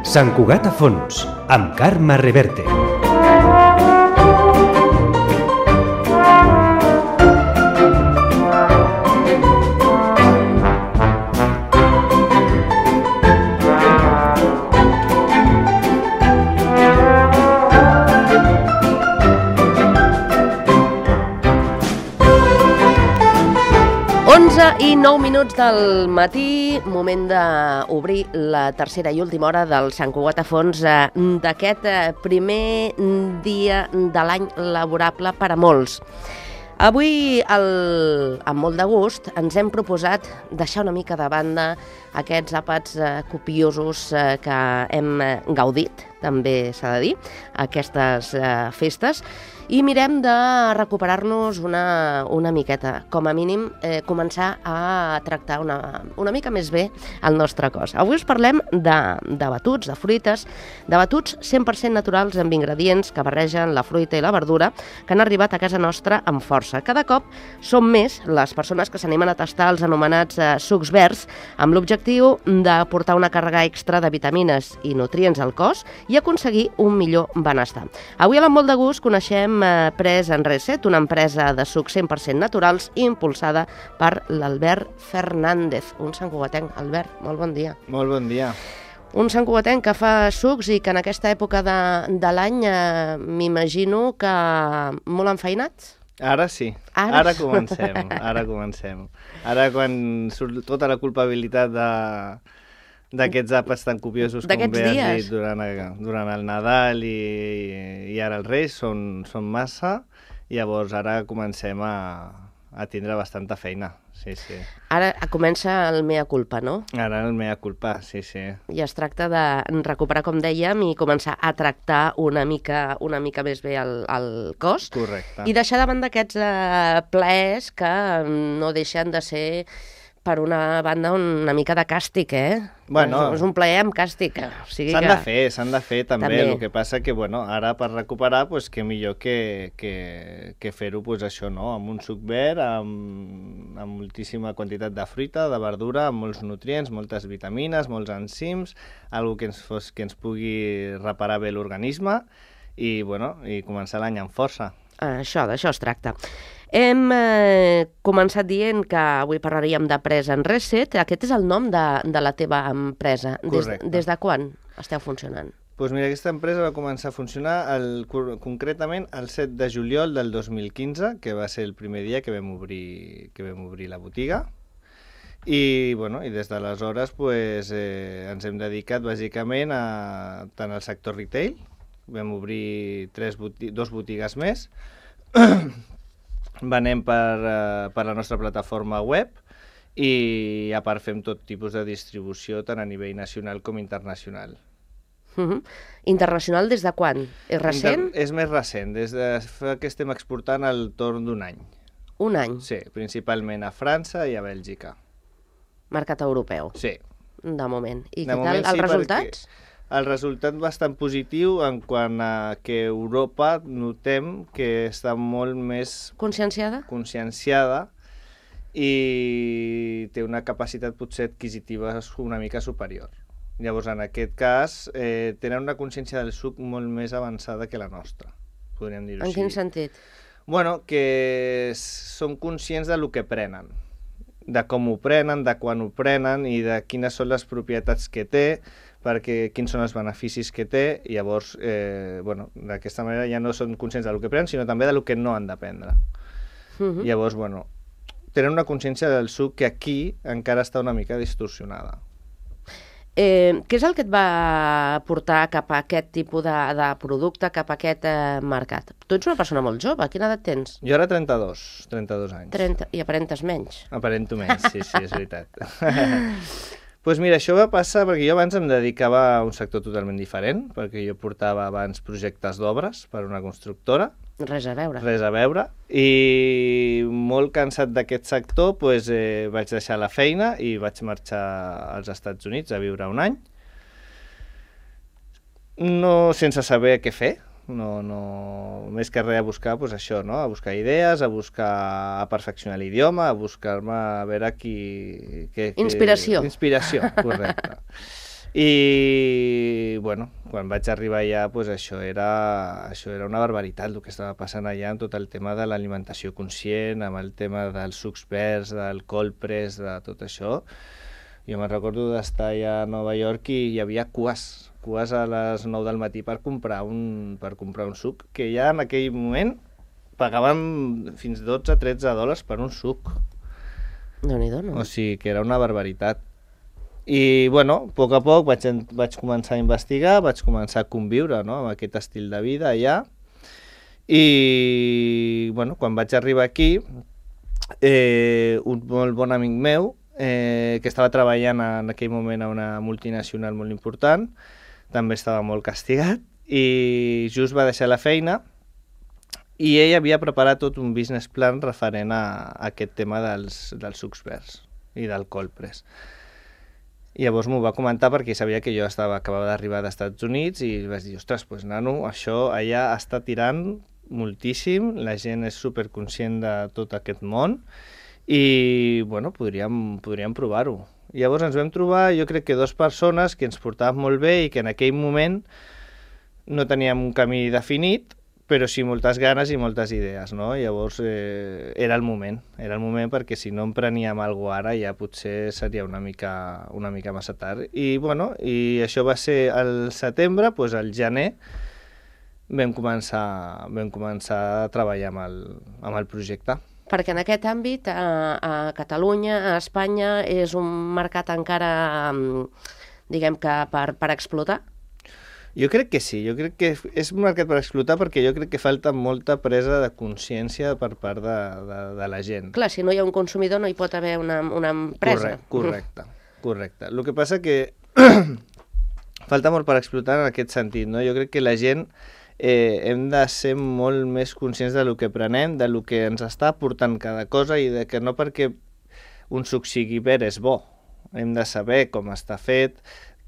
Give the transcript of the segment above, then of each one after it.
Sant Cugat a fons, amb Carme Reverte. I 9 minuts del matí, moment d'obrir la tercera i última hora del Sant Cugat a fons d'aquest primer dia de l'any laborable per a molts. Avui, amb molt de gust, ens hem proposat deixar una mica de banda aquests àpats copiosos que hem gaudit, també s'ha de dir, aquestes festes, i mirem de recuperar-nos una miqueta, com a mínim començar a tractar una mica més bé el nostre cos. Avui us parlem de batuts, de fruites, de batuts 100% naturals amb ingredients que barregen la fruita i la verdura que han arribat a casa nostra amb força. Cada cop són més les persones que s'animen a tastar els anomenats sucs verds amb l'objectiu d'aportar una càrrega extra de vitamines i nutrients al cos i aconseguir un millor benestar. Avui a l'Amb molt de gust coneixem Pres en Reset, una empresa de sucs 100% naturals impulsada per l'Albert Fernández, un santcugatenc. Albert, molt bon dia. Molt bon dia. Un santcugatenc que fa sucs i que en aquesta època de l'any m'imagino que molt enfeinats? Ara sí, ara comencem. Ara quan surt tota la culpabilitat d'aquests àpats tan copiosos com bé has dit durant el Nadal i ara els Reis són massa, llavors ara comencem a tindre bastanta feina, sí. Ara comença el mea culpa, no? Ara el mea culpa, sí. I es tracta de recuperar, com dèiem, i començar a tractar una mica més bé el cos. Correcte. I deixar davant d'aquests plaers que no deixen de ser, per una banda, una mica de càstig, Bueno, és un plaer amb càstig. O sigui s'han de fer també. El que passa que, ara per recuperar, què millor que fer-ho, això, no? Amb un suc verd, amb moltíssima quantitat de fruita, de verdura, amb molts nutrients, moltes vitamines, molts enzims, algo que ens pugui reparar bé l'organisme i començar l'any amb força. D'això es tracta. Hem començat dient que avui parlaríem de Pres en Reset. Aquest és el nom de la teva empresa. Correcte. Des de quan esteu funcionant? Doncs mira, aquesta empresa va començar a funcionar concretament el 7 de juliol del 2015, que va ser el primer dia que vam obrir la botiga. I des d'aleshores ens hem dedicat bàsicament tant al sector retail. Vam obrir 2 botigues més. Venem per la nostra plataforma web i a part fem tot tipus de distribució tant a nivell nacional com internacional. Internacional des de quan? És recent? És més recent, des de que estem exportant al torn d'un any. Un any? Sí, principalment a França i a Bèlgica. Mercat europeu? Sí. De moment. I què tal els resultats? El resultat bastant positiu en quant a que Europa notem que està molt més conscienciada i té una capacitat potser adquisitiva una mica superior. Llavors, en aquest cas, tenen una consciència del suc molt més avançada que la nostra, podríem dir-ho així. En quin sentit? Que són conscients del que prenen, de com ho prenen, de quan ho prenen i de quines són les propietats que té, quins són els beneficis que té, i llavors, d'aquesta manera ja no són conscients del que prenen, sinó també del que no han de prendre. Llavors, tenen una consciència del suc que aquí encara està una mica distorsionada. Què és el que et va portar cap a aquest tipus de producte, cap a aquest mercat? Tu ets una persona molt jove, quina edat tens? Jo ara 32 anys. I aparentes menys. Aparento menys, sí, és veritat. Doncs mira, això va passar perquè jo abans em dedicava a un sector totalment diferent, perquè jo portava abans projectes d'obres per una constructora. Res a veure. I molt cansat d'aquest sector, vaig deixar la feina i vaig marxar als Estats Units a viure un any. No sense saber què fer, més que res a buscar això, no? A buscar idees, a perfeccionar l'idioma, a buscar-me a veure Inspiració, correcte. I, bueno, quan vaig arribar allà, doncs això era una barbaritat el que estava passant allà amb tot el tema de l'alimentació conscient, amb el tema dels sucs verds, del cold press, de tot això. Jo me'n recordo d'estar allà a Nova York i hi havia cues a les 9 del matí per comprar un suc, que ja en aquell moment pagaven fins $12-13 per un suc. Déu-n'hi-do, no? O sigui que era una barbaritat. I, bueno, a poc vaig començar a investigar, vaig començar a conviure, no?, amb aquest estil de vida allà. I, bueno, quan vaig arribar aquí, un molt bon amic meu, que estava treballant en aquell moment a una multinacional molt important, també estava molt castigat, i just va deixar la feina, i ell havia preparat tot un business plan referent a aquest tema dels sucs verds i del cold press. I llavors m'ho va comentar perquè sabia que jo acabava d'arribar dels Estats Units i vaig dir, ostres, doncs nano, això allà està tirant moltíssim, la gent és superconscient de tot aquest món i, bueno, podríem provar-ho. I llavors ens vam trobar, jo crec que 2 persones que ens portàvem molt bé i que en aquell moment no teníem un camí definit, però sí moltes ganes i moltes idees, no? Llavors era el moment perquè si no empreníem alguna cosa ara ja potser seria una mica massa tard. I, bueno, i això va ser al setembre, doncs al gener vam començar a treballar amb el projecte. Perquè en aquest àmbit, a Catalunya, a Espanya, és un mercat encara, diguem que per explotar? Jo crec que sí, jo crec que és un mercat per explotar perquè jo crec que falta molta presa de consciència per part de la gent. Clar, si no hi ha un consumidor no hi pot haver una empresa. Correcte. El que passa que falta molt per explotar en aquest sentit, no? Jo crec que la gent hem de ser molt més conscients del que prenem, del que ens està aportant cada cosa i de que no perquè un suc sigui verd és bo. Hem de saber com està fet,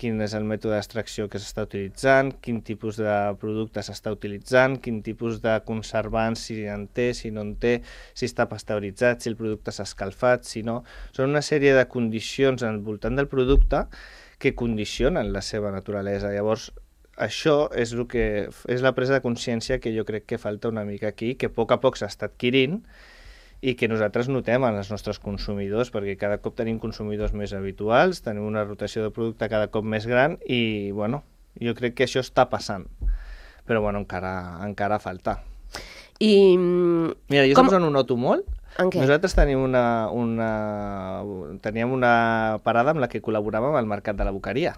quin és el mètode d'extracció que s'està utilitzant, quin tipus de producte s'està utilitzant, quin tipus de conservants, si en té, si no en té, si està pasteuritzat, si el producte s'ha escalfat, si no. Són una sèrie de condicions al voltant del producte que condicionen la seva naturalesa. Llavors, això és la presa de consciència que jo crec que falta una mica aquí, que a poc s'està adquirint, i que nosaltres notem en els nostres consumidors, perquè cada cop tenim consumidors més habituals, tenim una rotació de producte cada cop més gran i, bueno, jo crec que això està passant. Però, bueno, encara falta. Mira, jo saps on ho noto molt? En què? Nosaltres teníem una parada amb la que col·laboràvem al Mercat de la Boqueria.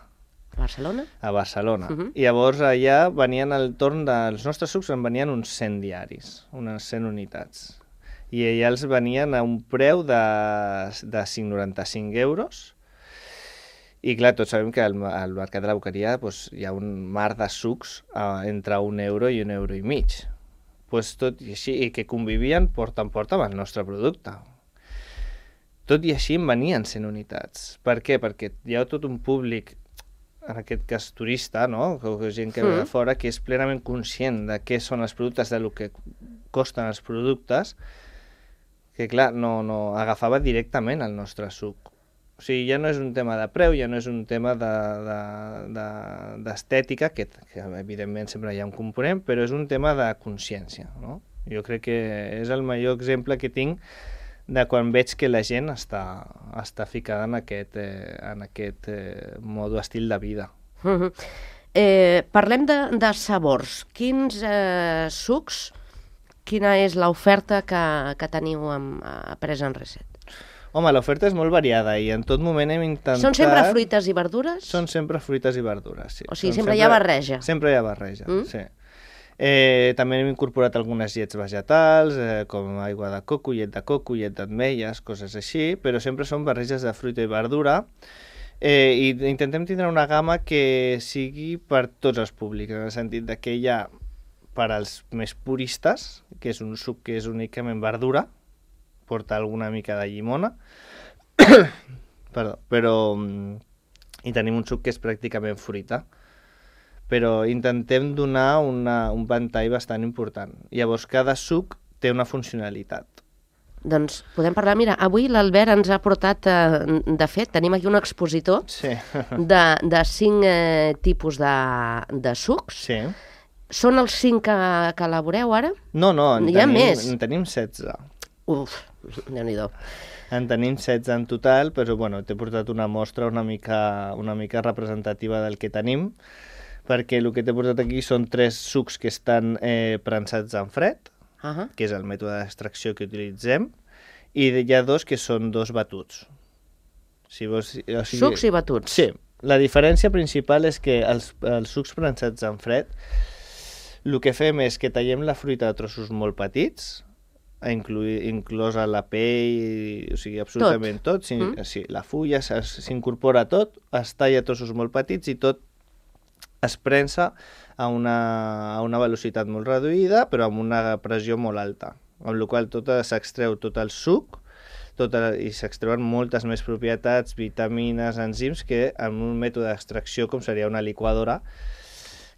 A Barcelona? A Barcelona. I llavors allà venien al torn dels nostres sucs, en venien uns 100 diaris, unes 100 unitats. I allà els venien a un preu de 5,95 €. I clar, tots sabem que al Mercat de la Boqueria hi ha un mar de sucs entre €1 i €1,50. Tot i així, i que convivien porta en porta amb el nostre producte. Tot i així en venien 100 unitats. Per què? Perquè hi ha tot un públic, en aquest cas turista, no? Gent que ve de fora, que és plenament conscient de què són els productes, de lo que costen els productes, que clar, no agafava directament el nostre suc. O sigui, ja no és un tema de preu, ja no és un tema d'estètica, que evidentment sempre hi ha un component, però és un tema de consciència, no? Jo crec que és el millor exemple que tinc de quan veig que la gent està ficada en aquest modo estil de vida. Parlem de sabors. Quins sucs, quina és l'oferta que teniu a Presa en Reset? Home, l'oferta és molt variada i en tot moment hem intentat... Són sempre fruites i verdures? Són sempre fruites i verdures, sí. O sigui, sempre hi ha barreja? Sempre hi ha barreja, sí. També hem incorporat algunes llets vegetals, com aigua de coco, llet d'ametlles, coses així, però sempre són barreges de fruita i verdura, i intentem tindre una gamma que sigui per tots els públics, en el sentit que hi ha per als més puristes, que és un suc que és únicament verdura, porta alguna mica de llimona, i tenim un suc que és pràcticament fruita, però intentem donar un ventall bastant important. Llavors, cada suc té una funcionalitat. Doncs podem parlar. Mira, avui l'Albert ens ha portat, de fet, tenim aquí un expositor de 5 tipus de sucs. Sí. Són els 5 que elaboreu ara? No, en tenim 16. Uf, Déu-n'hi-do. En tenim 16 en total, però bueno, t'he portat una mostra una mica representativa del que tenim, perquè el que t'he portat aquí són 3 sucs que estan prensats en fred, que és el mètode d'extracció que utilitzem, i hi ha 2 que són 2 batuts. Sucs i batuts. Sí. La diferència principal és que els sucs prensats en fred, el que fem és que tallem la fruita de trossos molt petits, inclosa la pell, o sigui, absolutament tot. Sí, la fulla s'incorpora tot, es talla a trossos molt petits i tot es prensa a una velocitat molt reduïda, però amb una pressió molt alta, amb la qual cosa s'extreu tot el suc i s'extreuen moltes més propietats, vitamines, enzims, que en un mètode d'extracció com seria una liquadora,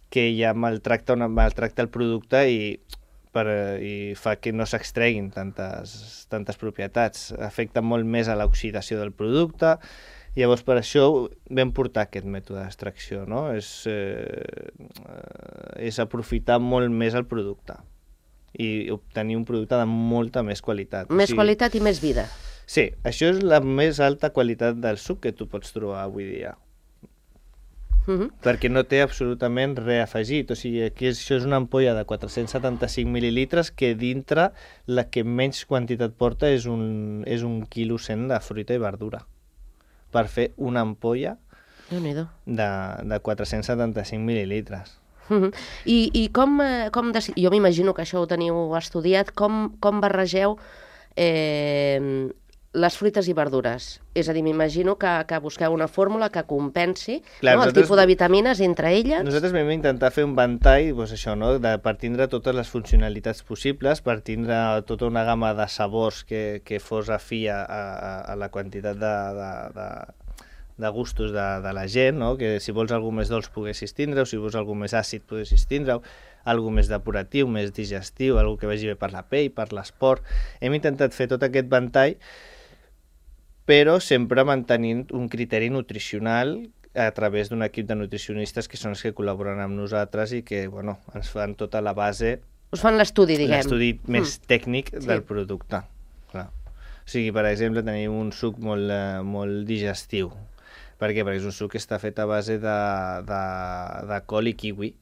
que ja maltracta el producte i fa que no s'extreguin tantes propietats. Afecta molt més a l'oxidació del producte. Llavors, per això vam portar aquest mètode d'extracció, no? És aprofitar molt més el producte i obtenir un producte de molta més qualitat. Més qualitat i més vida. Sí, això és la més alta qualitat del suc que tu pots trobar avui dia. Perquè no té absolutament res afegit. O sigui, aquí això és una ampolla de 475 mil·lilitres que dintre la que menys quantitat porta és un quilo 100 de fruita i verdura per fer una ampolla de 475 mil·lilitres. I com jo m'imagino que això ho teniu estudiat, com barregeu les fruites i verdures? És a dir, m'imagino que busqueu una fórmula que compensi el tipus de vitamines entre elles. Nosaltres vam intentar fer un ventall, per tindre totes les funcionalitats possibles, per tindre tota una gamma de sabors que fos afí a la quantitat de gustos de la gent, no? Que si vols alguna més dolç poguessis tindre-ho, si vols alguna més àcid poguessis tindre-ho, alguna més depuratiu, més digestiu, alguna que vagi bé per la pell, per l'esport. Hem intentat fer tot aquest ventall, però sempre mantenint un criteri nutricional a través d'un equip de nutricionistes que són els que col·laboren amb nosaltres i que ens fan tota la base... Us fan l'estudi, diguem. L'estudi més tècnic del producte. Clar. O sigui, per exemple, tenim un suc molt digestiu. Per què? Perquè és un suc que està fet a base de col i kiwi.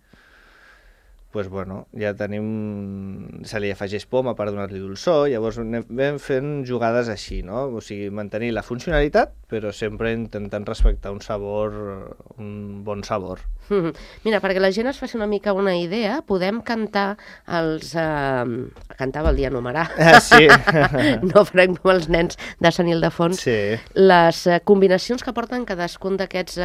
Doncs, ja tenim... Se li afegeix poma per donar-li dolçor, llavors vam fent jugades així, no? O sigui, mantenir la funcionalitat, però sempre intentant respectar un bon sabor. Mira, perquè la gent es faci una mica una idea, podem cantar cantava el dia numerar. Sí. No farem com els nens de Sant Ildefons. Sí. Les combinacions que porten cadascun d'aquests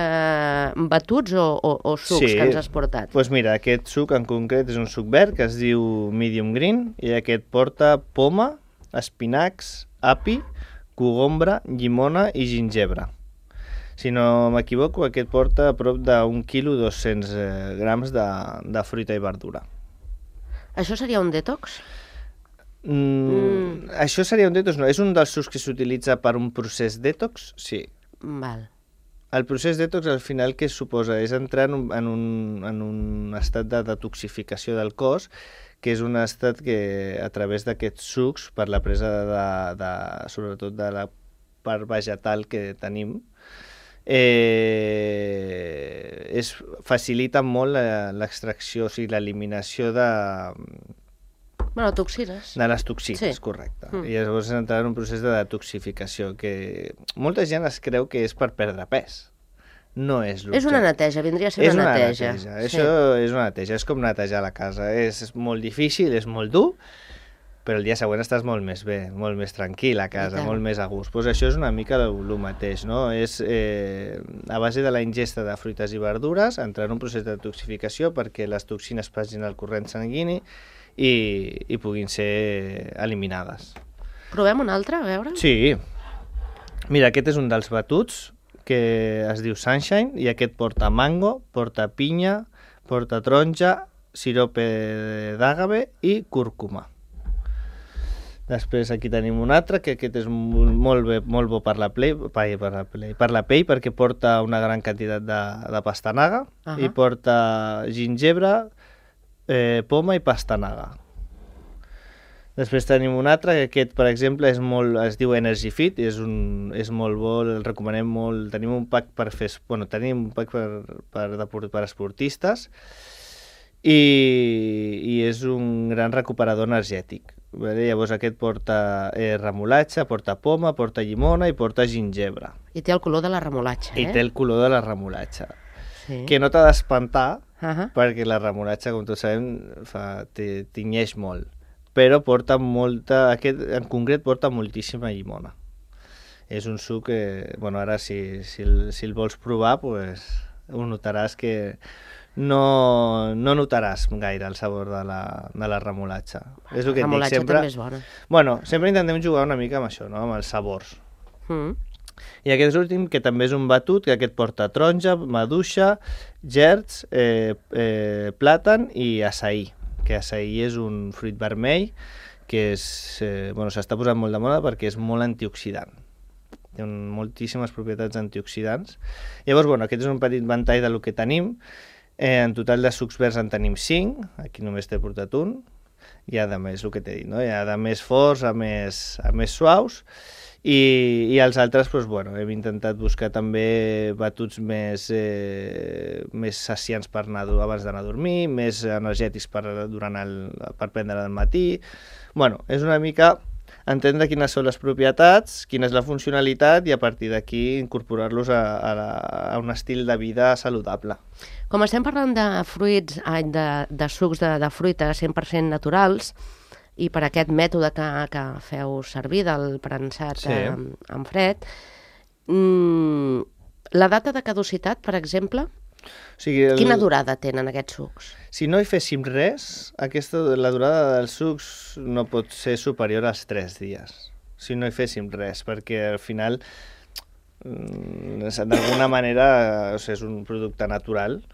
batuts o sucs que ens has portat. Doncs mira, aquest suc en concret és un suc verd que es diu Medium Green i aquest porta poma, espinacs, api, cogombra, llimona i gingebre. Si no m'equivoco, aquest porta a prop d'1 quilo 200 grams de fruita i verdura. Això seria un detox? Això seria un detox, no. És un dels sucs que s'utilitza per un procés detox, sí. Val. El procés detox al final què suposa? És entrar en un estat de detoxificació del cos, que és un estat que a través d'aquests sucs, per la presa sobretot de la part vegetal que tenim, facilita molt l'extracció, o sigui, l'eliminació de toxines. De les toxines, sí. Correcte. I llavors entrar en un procés de detoxificació que molta gent es creu que és per perdre pes. No és l'objecte. És una neteja, vindria a ser una neteja. Això és una neteja, és com netejar la casa. És molt difícil, és molt dur, però el dia següent estàs molt més bé, molt més tranquil a casa, molt més a gust. Doncs això és una mica el mateix, no? És a base de la ingesta de fruites i verdures, entrar en un procés de detoxificació perquè les toxines passin al corrent sanguini i puguin ser eliminades. Provem un altre, a veure? Sí. Mira, aquest és un dels batuts que es diu Sunshine i aquest porta mango, porta pinya, porta taronja, sirope d'àgave i cúrcuma. Després aquí tenim un altre, que aquest és molt bo per la pell, perquè porta una gran quantitat de pastanaga i porta gingebre, poma i pastanaga. Després tenim un altre, que aquest, per exemple, es diu Energy Fit, és molt bo, el recomanem molt. Tenim un pack per esportistes i és un gran recuperador energètic. Llavors aquest porta remolatxa, porta poma, porta llimona i porta gingebre. I té el color de la remolatxa, I té el color de la remolatxa. Sí. Que no t'ha d'espantar, perquè la remolatxa, com tots sabem, tinyeix molt. Però porta aquest en concret porta moltíssima llimona. És un suc que, ara si el vols provar, pues, ho notaràs que no notaràs gaire el sabor de la remolatxa. És el que la remolatxa també és bona. Sempre intentem jugar una mica amb això, no? Amb els sabors. I aquest últim, que també és un batut, que aquest porta taronja, maduixa, gerds, plàtan i açaí. Que açaí és un fruit vermell que s'està posant molt de moda perquè és molt antioxidant. Té moltíssimes propietats antioxidants. Llavors, aquest és un petit ventall del que tenim. En total de sucs verds en tenim 5, aquí només t'he portat un. Hi ha de més, el que t'he dit, no? Hi ha de més forts a més suaus. I els altres, hem intentat buscar també batuts més saciants per abans d'anar a dormir, més energètics per prendre al matí. És una mica entendre quines són les propietats, quina és la funcionalitat i a partir d'aquí incorporar-los a un estil de vida saludable. Com estem parlant de fruits, de sucs de fruites 100% naturals, i per aquest mètode que feu servir del prensat en fred, la data de caducitat, per exemple, quina durada tenen aquests sucs? Si no hi féssim res, la durada dels sucs no pot ser superior als 3 dies, si no hi féssim res, perquè al final, d'alguna manera, és un producte natural.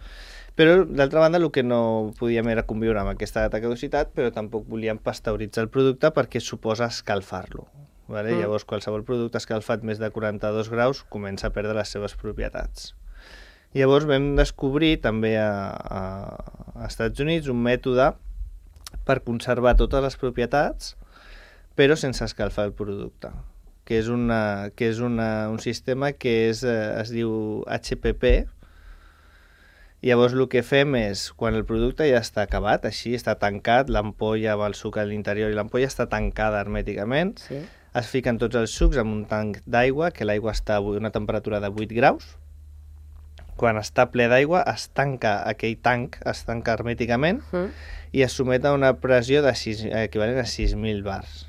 Però, d'altra banda, el que no podíem era conviure amb aquesta data de caducitat, però tampoc volíem pasteuritzar el producte perquè suposa escalfar-lo. Llavors, qualsevol producte escalfat més de 42 graus comença a perdre les seves propietats. Llavors vam descobrir també a Estats Units un mètode per conservar totes les propietats però sense escalfar el producte, que és un sistema que es diu HPP. Llavors el que fem és, quan el producte ja està acabat, així està tancat, l'ampolla amb el suc a l'interior i l'ampolla està tancada hermèticament, es fiquen tots els sucs en un tanc d'aigua, que l'aigua està a una temperatura de 8 graus. Quan està ple d'aigua es tanca aquell tanc, es tanca hermèticament i es somet a una pressió equivalent a 6.000 bars.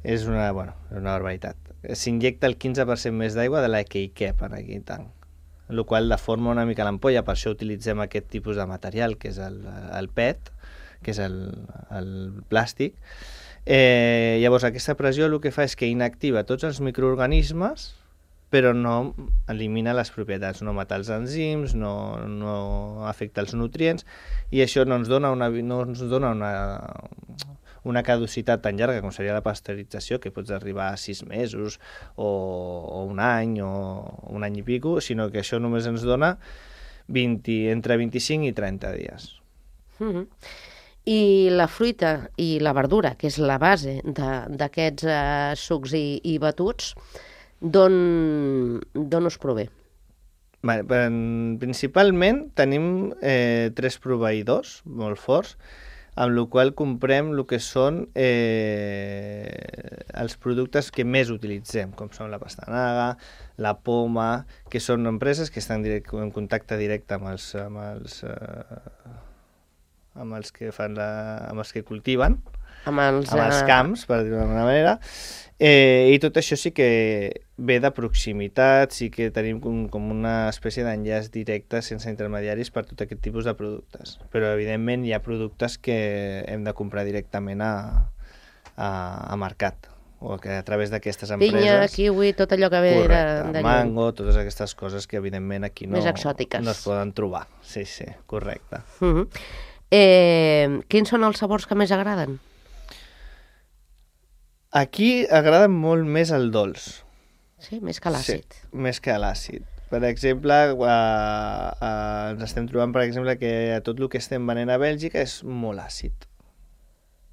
És una barbaritat. S'injecta el 15% més d'aigua de la que hi cap en aquell tanc, el qual deforma una mica l'ampolla, per això utilitzem aquest tipus de material, que és el PET, que és el plàstic. Llavors aquesta pressió el que fa és que inactiva tots els microorganismes, però no elimina les propietats, no mata els enzims, no afecta els nutrients, i això no ens dona una caducitat tan llarga com seria la pasteurització, que pots arribar a 6 mesos o un any o un any i pico, sinó que això només ens dona entre 25 i 30 dies. I la fruita i la verdura, que és la base d'aquests sucs i batuts, d'on us prové? Principalment tenim 3 proveïdors molt forts, amb el qual comprem el que són els productes que més utilitzem, com són la pastanaga, la poma, que són empreses que estan en contacte directe amb els que cultiven, amb els camps, per dir-ho d'alguna manera, i tot això sí que ve de proximitat, sí que tenim com una espècie d'enllaç directe sense intermediaris per tot aquest tipus de productes. Però, evidentment, hi ha productes que hem de comprar directament a mercat, o que a través d'aquestes empreses... Pinya, kiwi, tot allò que ve de mango, totes aquestes coses que, evidentment, aquí no es poden trobar. Sí, correcte. Quins són els sabors que més agraden? Aquí agrada molt més el dolç. Sí, més que l'àcid. Sí, més que l'àcid. Per exemple, ens estem trobant, per exemple, que tot el que estem venent a Bèlgica és molt àcid.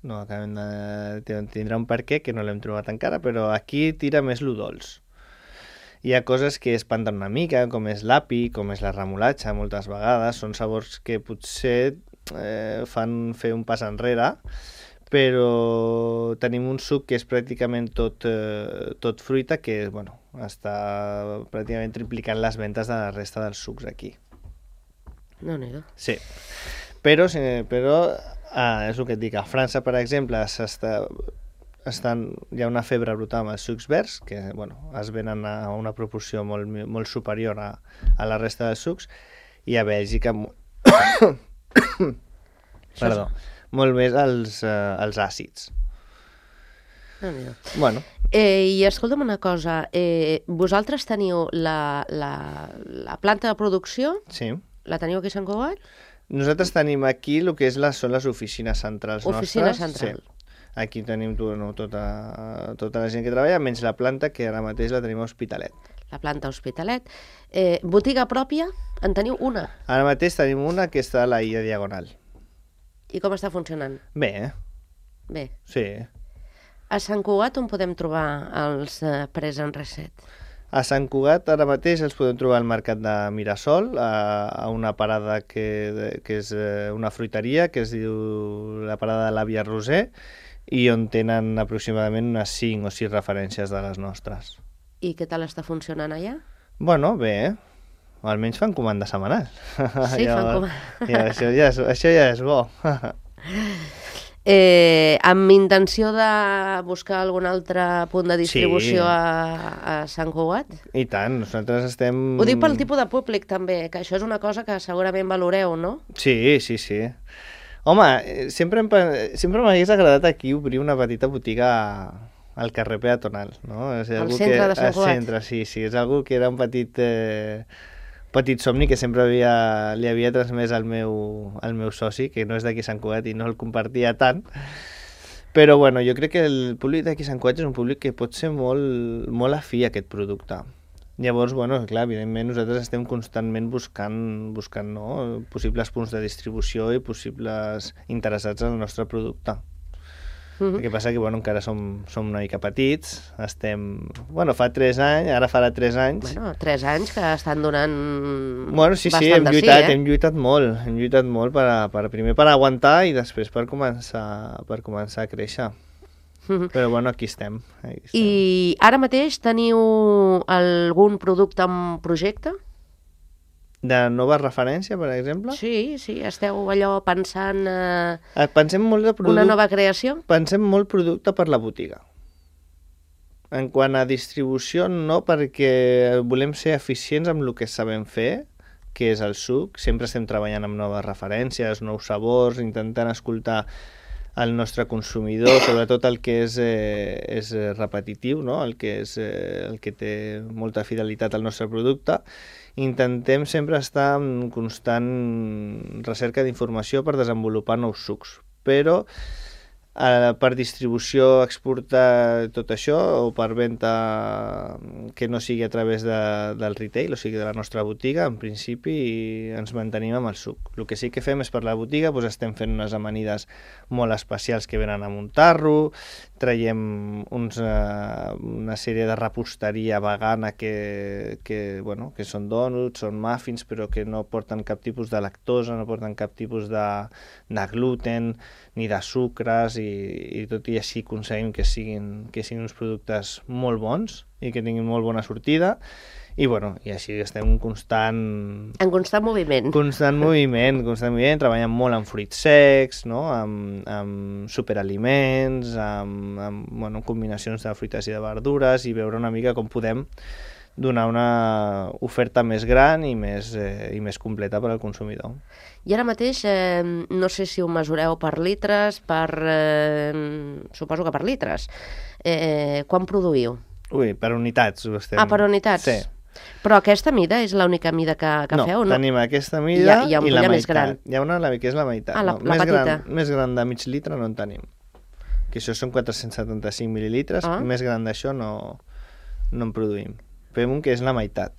No, tindrà un per què, que no l'hem trobat encara, però aquí tira més lo dolç. Hi ha coses que espanten una mica, com és l'api, com és la remolatxa, moltes vegades. Són sabors que potser fan fer un pas enrere, però tenim un suc que és pràcticament tot fruita, que bueno, està pràcticament triplicant les ventes de la resta dels sucs aquí. No. Sí, però és el que et dic, a França, per exemple, hi ha una febre brutal amb els sucs verds, que bueno, es venen a una proporció molt superior a la resta dels sucs, i a Bèlgica perdó, molt més els àcids. Bueno. I escolta'm una cosa, vosaltres teniu la planta de producció? Sí. La teniu aquí a Sant Cugat? Nosaltres tenim aquí el que són les oficines centrals nostres. Oficina central. Sí. Aquí tenim tota la gent que treballa, menys la planta, que ara mateix la tenim a Hospitalet. La planta Hospitalet. Botiga pròpia? En teniu una? Ara mateix tenim una que està a la Illa Diagonal. I com està funcionant? Bé. Bé. Sí. A Sant Cugat on podem trobar els Present Reset? A Sant Cugat ara mateix els podem trobar al mercat de Mirasol, a una parada que és una fruiteria, que es diu la parada de l'Àvia Roser, i on tenen aproximadament unes 5 o 6 referències de les nostres. I què tal està funcionant allà? Bueno, bé, almenys fan comanda setmanal. Sí, fan comanda. Això ja és bo. Amb intenció de buscar algun altre punt de distribució a Sant Cugat? I tant, nosaltres estem... Ho dic pel tipus de públic també, que això és una cosa que segurament valoreu, no? Sí. Home, sempre m'hagués agradat aquí obrir una petita botiga al carrer peatonal, no? Al centre de Sant Cugat? Al centre, sí, és algo que era un petit somni que sempre li havia transmès al meu soci, que no és d'aquí Sant Cugat i no el compartia tant, però bueno, jo crec que el públic d'aquí Sant Cugat és un públic que pot ser molt afí a aquest producte. Llavors, bueno, clar, evidentment nosaltres estem constantment buscant possibles punts de distribució i possibles interessats en el nostre producte. El que passa que encara som una mica petits, fa 3 anys, ara farà 3 anys. Bueno, 3 anys que estan donant sí, hem lluitat molt primer per aguantar i després per començar a créixer. Però aquí estem. I ara mateix teniu algun producte en projecte? De nova referència, per exemple? Sí, esteu allò pensant pensem molt de una nova creació? Pensem molt producte per la botiga. En quant a distribució, no, perquè volem ser eficients amb el que sabem fer, que és el suc. Sempre estem treballant amb noves referències, nous sabors, intentant escoltar el nostre consumidor, sobretot el que és repetitiu, no? el que té molta fidelitat al nostre producte. Intentem sempre estar en constant recerca d'informació per desenvolupar nous sucs, però per distribució, exportar tot això, o per venda que no sigui a través del retail, o sigui de la nostra botiga, en principi ens mantenim amb el suc. El que sí que fem és per la botiga, estem fent unes amanides molt especials que venen a muntar-lo, traiem una sèrie de reposteria vegana que són dònuts, són muffins, però que no porten cap tipus de lactosa, no porten cap tipus de gluten ni de sucres, i tot i així aconseguim que siguin uns productes molt bons i que tinguin molt bona sortida. I així estem en constant moviment. Constant moviment, treballant molt amb fruits secs, no? amb superaliments, amb combinacions de fruites i de verdures, i veure una mica com podem donar una oferta més gran i més completa per al consumidor. I ara mateix, no sé si ho mesureu per litres, suposo que per litres. Quan produïu? Per unitats ho estem... Per unitats? Sí. Però aquesta mida és l'única mida que feu? No, tenim aquesta mida i la meitat. més gran. Hi ha una que és la meitat. La petita. Més gran de mig litre no en tenim. que això són 475 mil·lilitres, més gran d'això no en produïm. Fem un que és la meitat.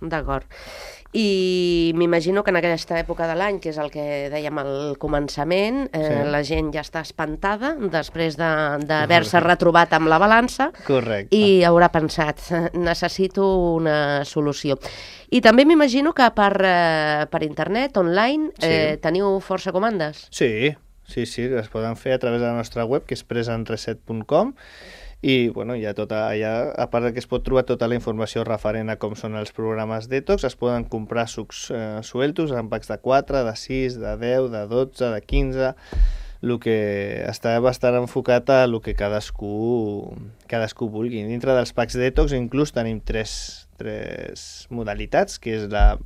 D'acord. I m'imagino que en aquesta època de l'any, que és el que dèiem al començament, la gent ja està espantada després d'haver-se retrobat amb la balança. Correcte. I haurà pensat, necessito una solució. I també m'imagino que per internet, online, teniu força comandes. Sí, es poden fer a través de la nostra web, que és presenreset.com, i bueno, hi ha allà, a part que es pot trobar tota la informació referent a com són els programes detox, es poden comprar sucs sueltos en packs de 4, de 6, de 10, de 12, de 15, el que està bastant enfocat a el que cadascú vulgui. Dintre dels packs detox inclús tenim tres modalitats, que és la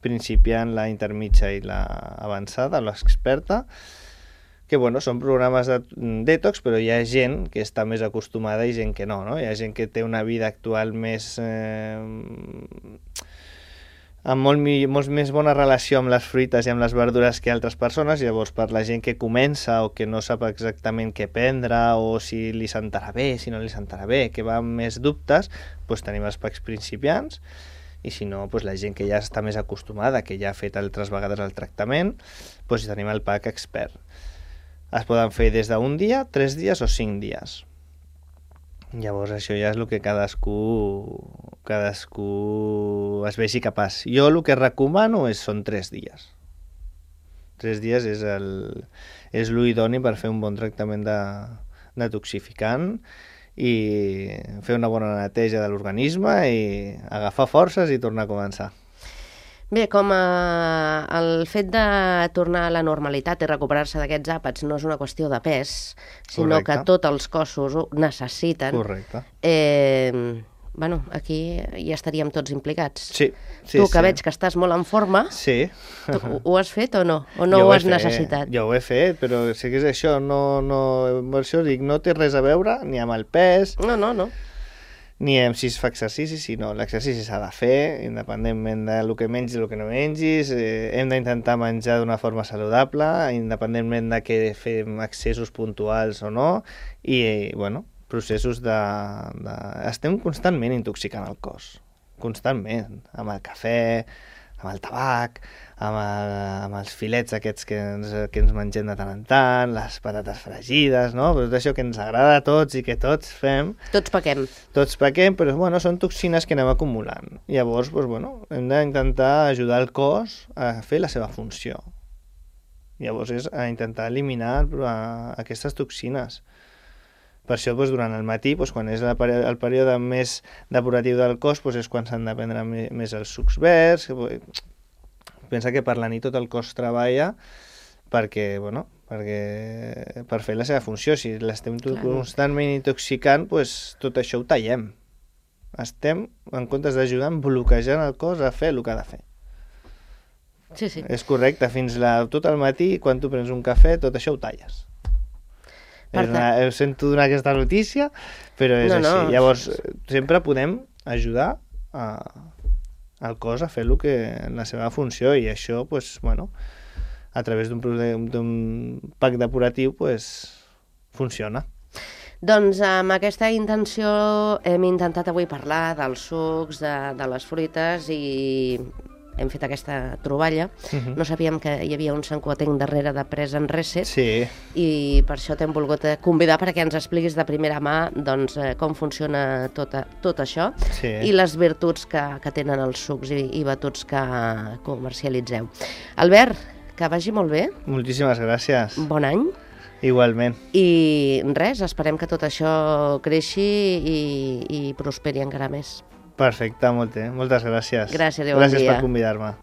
principiant, la intermitja i la avançada, l'experta, que bueno, són programes de detox, però hi ha gent que està més acostumada i gent que no. Hi ha gent que té una vida actual més amb molt més bona relació amb les fruites i amb les verdures que altres persones. Llavors, per la gent que comença o que no sap exactament què prendre, o si li sentarà bé, si no li sentarà bé, que va amb més dubtes, doncs tenim els packs principiants, i si no, doncs la gent que ja està més acostumada, que ja ha fet altres vegades el tractament, doncs tenim el pack expert. Es poden fer des d'un dia, 3 dies o 5 dies. Llavors això ja és el que cadascú es vegi capaç. Jo el que recomano són 3 dies. 3 dies és l'idoni per fer un bon tractament de detoxificant i fer una bona neteja de l'organisme i agafar forces i tornar a començar. Bé, com el fet de tornar a la normalitat i recuperar-se d'aquests àpats no és una qüestió de pes, sinó que tots els cossos ho necessiten. Correcte. Bueno, aquí ja estaríem tots implicats. Sí. Tu, que veig que estàs molt en forma, ho has fet o no? O no ho has necessitat? Jo ho he fet, però sé que és això, per això dic, no té res a veure ni amb el pes, No. ni amb si es fa exercici, sinó l'exercici s'ha de fer, independentment del que mengis i el que no mengis. Hem d'intentar menjar d'una forma saludable, independentment de que fem excessos puntuals o no, i, bueno, processos estem constantment intoxicant el cos, constantment, amb el cafè, amb el tabac, amb els filets aquests que ens mengem de tant en tant, les patates fregides, no? Tot això que ens agrada a tots i que tots fem. Tots pequem. Tots pequem, però bueno, són toxines que anem acumulant. Llavors, hem d'intentar ajudar el cos a fer la seva funció. Llavors és a intentar eliminar aquestes toxines. Per això, durant el matí, quan és el període més depuratiu del cos, és quan s'han de prendre més els sucs verds. Pensa que per la nit tot el cos treballa per fer la seva funció. Si l'estem constantment intoxicant, tot això ho tallem. Estem, en comptes d'ajudar, bloquejant el cos a fer el que ha de fer. Sí. És correcte, fins tot el matí, quan tu prens un cafè, tot això ho talles. Sento donar aquesta notícia, però és així. Llavors, sempre podem ajudar al cos a fer la seva funció, i això, a través d'un pack depuratiu, funciona. Doncs amb aquesta intenció hem intentat avui parlar dels sucs, de les fruites, i hem fet aquesta troballa. No sabíem que hi havia un santcugatenc darrere de Present Reset, i per això t'hem volgut convidar perquè ens expliquis de primera mà com funciona tot això i les virtuts que tenen els sucs i batuts que comercialitzeu. Albert, que vagi molt bé. Moltíssimes gràcies. Bon any. Igualment. I res, esperem que tot això creixi i prosperi encara més. Perfecte, moltes gràcies. Gràcies i bon dia. Gràcies per convidar-me.